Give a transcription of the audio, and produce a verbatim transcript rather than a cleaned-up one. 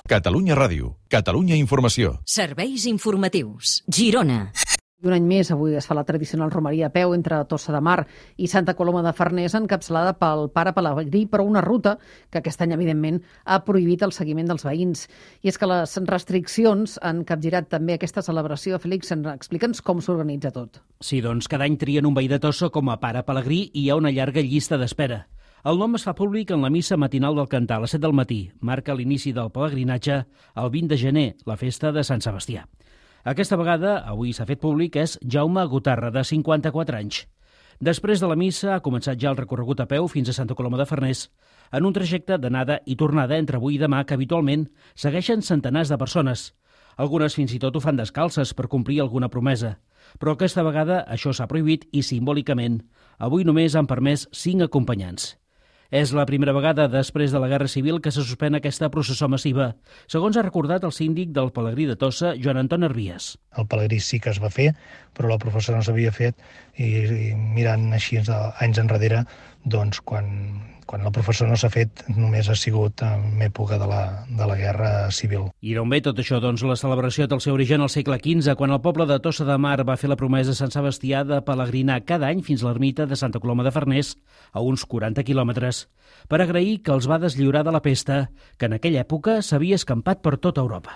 Catalunya Ràdio, Catalunya Informació. Serveis informatius. Girona. Un any més, avui es fa la tradicional romeria a peu entre Tossa de Mar i Santa Coloma de Farners, encapçalada pel pare Pelegrí, però una ruta que aquest any, evidentment, ha prohibit el seguiment dels veïns. I és que les restriccions han capgirat també aquesta celebració. Fèlix, explica'ns com s'organitza tot. Sí, doncs cada any trien un veí de Tossa com a pare Pelegrí i hi ha una llarga llista d'espera. El nom es fa públic en la missa matinal del Cantar a les set del matí. Marca l'inici del pelegrinatge el vint de gener, la festa de Sant Sebastià. Aquesta vegada, avui s'ha fet públic, és Jaume Gotarra, de cinquanta-quatre anys. Després de la missa ha començat ja el recorregut a peu fins a Santa Coloma de Farners, en un trajecte d'anada i tornada entre avui i demà que habitualment segueixen centenars de persones. Algunes fins i tot ho fan descalces per complir alguna promesa. Però aquesta vegada això s'ha prohibit i simbòlicament. Avui només han permès cinc acompanyants. És la primera vegada després de la Guerra Civil que se suspèn aquesta processó massiva, segons ha recordat el síndic del Pelegrí de Tossa, Joan Anton Hervies. El Pelegrí sí que es va fer, però la processó no s'havia fet i, i mirant així anys enrere, doncs quan, quan la processó no s'ha fet només ha sigut en època de la, de la Guerra Civil. I d'on ve tot això? Doncs la celebració té el seu origen al segle quinze, quan el poble de Tossa de Mar va fer la promesa a Sant Sebastià de pelegrinar cada any fins a l'ermita de Santa Coloma de Farners, a uns quaranta quilòmetres, per agrair que els va deslliurar de la pesta, que en aquella època s'havia escampat per tota Europa.